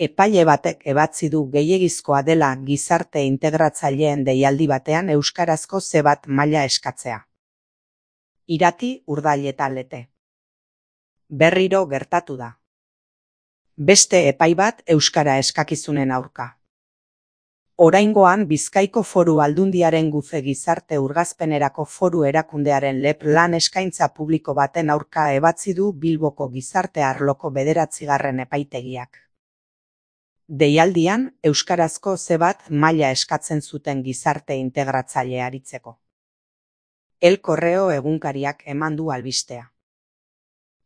Epaile batek ebatzi du gehiegizkoa dela gizarte integratzaileen deialdi batean euskarazko C bat maila eskatzea. Irati, Urdail eta Lete. Berriro gertatu da. Beste epai bat euskara eskakizunen aurka. Oraingoan Bizkaiko Foru Aldundiaren Gufe Gizarte Urgazpenerako Foru Erakundearen LEP lan eskaintza publiko baten aurka ebatzi du Bilboko gizarte arloko 9. epaitegiak. Deialdian, euskarazko C bat maila eskatzen zuten gizarte integratzaile aritzeko. El Correo egunkariak eman du albistea.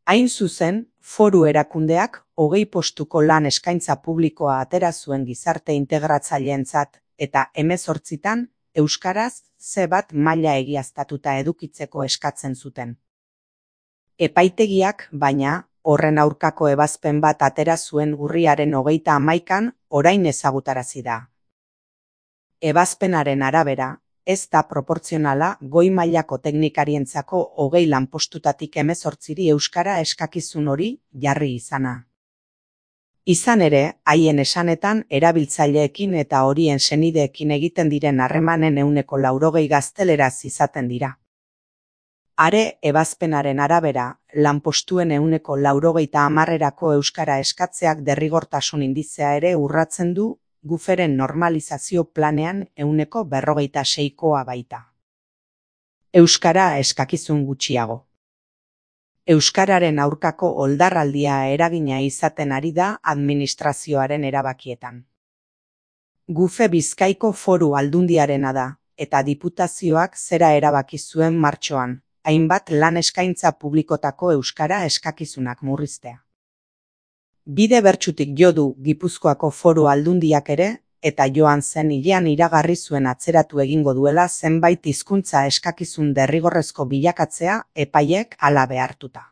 Hain zuzen, foru erakundeak 20 postuko lan eskaintza publikoa atera zuen gizarte integratzaileentzat eta 18 euskaraz C bat maila egiaztatuta edukitzeko eskatzen zuten. Epaitegiak, baina, horren aurkako ebazpen bat atera zuen urriaren 31 orain ezagutarazi da. Ebazpenaren arabera, ez da proportzionala goi mailako teknikarientzako 20 lanpostutatik 18 euskara eskakizun hori jarri izana. Izan ere, haien esanetan erabiltzaileekin eta horien senideekin egiten diren harremanen 80% gazteleraz izaten dira. Are ebazpenaren arabera, lanpostuen 80% euskara eskatzeak derrigortasun indizea ere urratzen du, Guferen normalizazio planean 46%koa baita. Euskara eskakizun gutxiago. Euskararen aurkako oldarraldia eragina izaten ari da administrazioaren erabakietan. Gufe Bizkaiko Foru Aldundiarena da, eta diputazioak zera erabaki zuen martxoan, hainbat lan eskaintza publikotako euskara eskakizunak murriztea. Bide bertsutik jo du Gipuzkoako Foru Aldundiak ere, eta joan zen hilean iragarri zuen atzeratu egingo duela zenbait hizkuntza eskakizun derrigorrezko bilakatzea epaiek hala behartuta.